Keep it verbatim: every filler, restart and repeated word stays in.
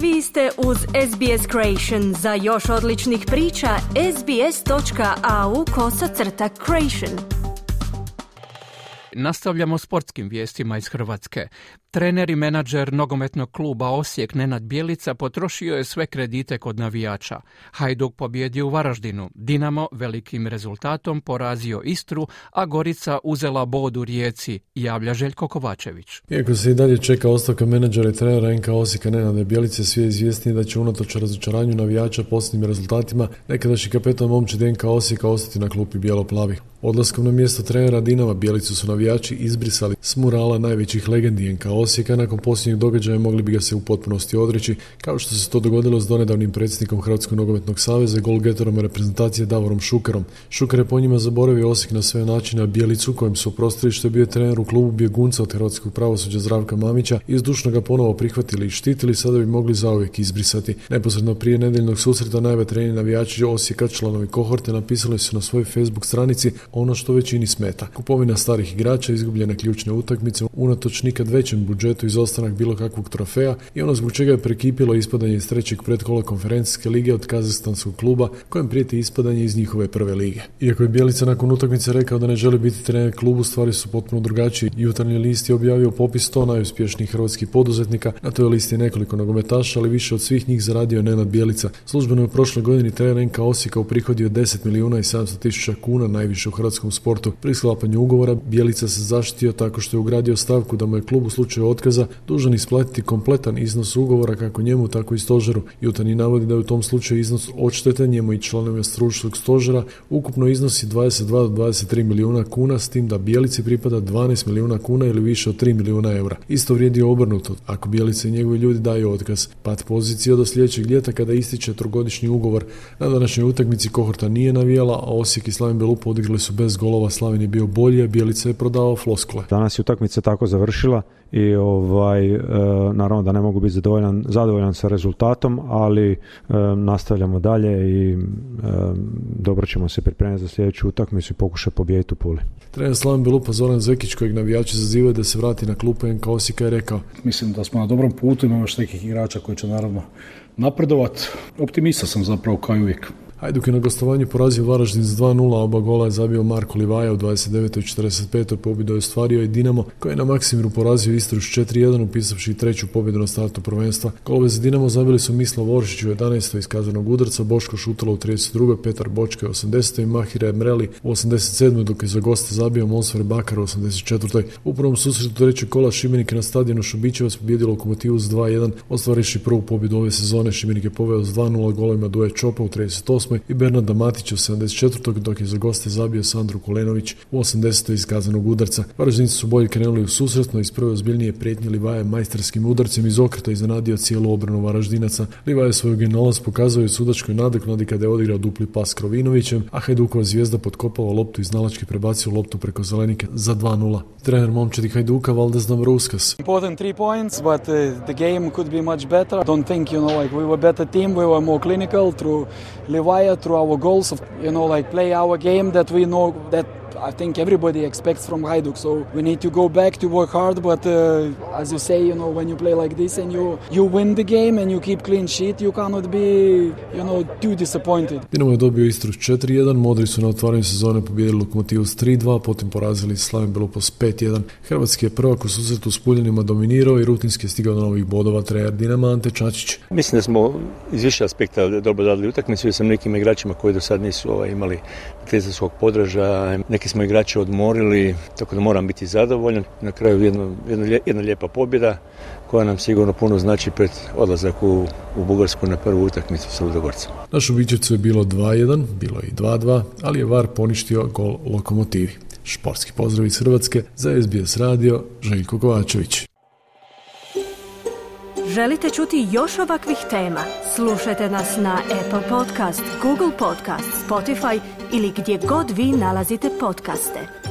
Vi ste uz S B S Creation. Za još odličnih priča, sbs.au kosacrta creation. Nastavljamo sportskim vijestima iz Hrvatske. Trener i menadžer nogometnog kluba Osijek Nenad Bjelica potrošio je sve kredite kod navijača. Hajduk pobjedio u Varaždinu, Dinamo velikim rezultatom porazio Istru, a Gorica uzela bod u Rijeci, javlja Željko Kovačević. Iako se i dalje čeka ostavka menadžera i trenera N K Osijeka Nenada Bjelice, svi je izvjesni da će unatoč razočaranju navijača posljednjim rezultatima nekadašnji kapetan momčadi N K Osijeka ostati na klupi bijelo-plavih. Odlaskom na mjesto trenera Dinama Bjelicu su navijači izbrisali s murala najvećih legendi N K Osijeka. Nakon posljednjeg događaja mogli bi ga se u potpunosti odreći, kao što se to dogodilo s donedavnim predsjednikom Hrvatskog nogometnog saveza i golgetorom reprezentacije Davorom Šukerom. Šuker je po njima zaboravio Osijek na sve načine, a Bjelicu, kojem su oprostili što je bio trener u klubu bjegunca od hrvatskog pravosuđa Zdravka Mamića, i zdušno ga ponovo prihvatili i štitili, sada bi mogli zauvijek izbrisati. Neposredno prije nedjeljnog susreta najvetereniji navijači Osijeka, članovi kohorte, napisali su na svojoj Facebook stranici ono što većini smeta: kupovina starih igrača, izgubljene ključne utakmice, unatoč nikad većem budžetu, izostanak bilo kakvog trofeja i ono zbog čega je prekipilo ispadanje iz trećeg predkola konferencijske lige od kazahstanskog kluba kojem prijeti ispadanje iz njihove prve lige. Iako je Bjelica nakon utakmice rekao da ne želi biti trener klubu, stvari su potpuno drugačije. Jutarnji list je objavio popis sto najuspješnijih hrvatskih poduzetnika. Na toj listi nekoliko nogometaša, ali više od svih njih zaradio Nenad Bjelica. Službeno je u prošloj godini trener N K Osijeka uprihodio deset milijuna i sedamsto tisuća kuna, najviše u hrvatskom sportu. Pri sklapanju ugovora Bjelica se zaštitio tako što je ugradio stavku da mu je klub u slučaju otkaza dužan isplatiti kompletan iznos ugovora kako njemu tako i stožeru. Jutarnji navodi da je u tom slučaju iznos odštete njemu i članovima stručnog stožera ukupno iznosi dvadeset dva do dvadeset tri milijuna kuna, s tim da Bjelici pripada dvanaest milijuna kuna ili više od tri milijuna eura. Isto vrijedi obrnuto. Ako Bjelica i njegovi ljudi daju otkaz, pad pozicija do sljedećeg ljeta kada ističe trogodišnji ugovor. Na današnjoj utakmici kohorta nije navijala, a Osijek i Slaven Belupo odigrali su bez golova. Slaven je bio bolji, a Bjelica je prodavao floskule. Danas je utakmica tako završila i ovaj, e, naravno da ne mogu biti zadovoljan, zadovoljan sa rezultatom, ali e, nastavljamo dalje i e, dobro ćemo se pripremiti za sljedeću utakmicu i pokušati pobijediti u Puli. Trener Slaven Belupo Zoran Zekić, kojeg navijači zazivaju da se vrati na klupu N K Osijeka, je rekao: mislim da smo na dobrom putu, imamo još nekih igrača koji će naravno napredovati. Optimista sam zapravo kao i uvijek. Hajduk je na gostovanju porazio Varaždin s dva nula, oba gola je zabio Marko Livaja u dvadeset devetoj i četrdeset petoj pobjedu je ostvario i Dinamo, koji je na Maksimiru porazio Istru s četiri jedan, upisavši treću pobjedu na startu prvenstva. Golove za Dinamo zabili su Mislav Oršić u jedanaestoj iz kaznenog udarca, Boško Šutalo u trideset drugoj, Petar Bočka u osamdesetoj i Mahire Mreli u osamdeset sedmoj, dok je za goste zabio Monsfer Bakar u osamdeset četvrtoj. U prvom susretu trećeg kola Šibenik na stadionu Šubićevac pobjedio Lokomotivu s dva jedan, ostvarivši prvu pobjedu ove sezone. Šibenik je poveo s dva nula golovima Duje Čopa u trideset osmoj i Bernarda Matić u sedamdeset četvrtoj, dok je za goste zabio Sandro Kulenović u osamdesetoj iz kaznenog udarca. Varaždinci su bolje krenuli u susretno, iz prve ozbiljnije prijetnje Livaja majstarskim udarcem iz okreta iznenadio cijelu obranu Varaždinaca. Livaja svoju genijalnost pokazao je u sudačkoj nadoknadi kada je odigrao dupli pas Krovinovićem, a Hajdukova zvijezda potkopala loptu iz nalačke, prebacio loptu preko zelenike za dva nula. Trener momčadi Hajduka Valdes Dambrauskas: important three points, but uh, the game could be much better. Don't think, you know, like we were better team, we were more clinical through Livaja, through our goals of, you know, like play our game that we know that I think everybody expects from Hajduk. So we need to go back to work hard, but uh, as you say, you know, when you play like this and you you win the game and you keep clean sheet, you cannot be, you know, too disappointed. Dinamo je dobio Istru s četiri jedan, Modri su na otvaranju sezone pobijedili Lokomotivu s tri dva, potom porazili Slaven Belupo s pet jedan. Hrvatski je prvak u susretu s Puljanima dominirao i rutinski je stigao do novih bodova. Trener Dinama Ante Čačić: mislim da smo iz više aspekta dobro zadali utakmicu, sa nekim igračima koji do sad nisu ovaj, imali trenerskog podražaja, neki smo igrače odmorili, tako da moram biti zadovoljan. Na kraju jedna, jedna, jedna lijepa pobjeda koja nam sigurno puno znači pred odlazak u, u Bugarsku na prvu utakmicu sa Ludogorcem. Na Šubićevcu je bilo dva jedan, bilo je i dva dva, ali je V A R poništio gol Lokomotivi. Športski pozdrav iz Hrvatske, za S B S radio, Željko Kovačević. Želite čuti još ovakvih tema? Slušajte nas na Apple Podcast, Google Podcast, Spotify ili gdje god vi nalazite podcaste.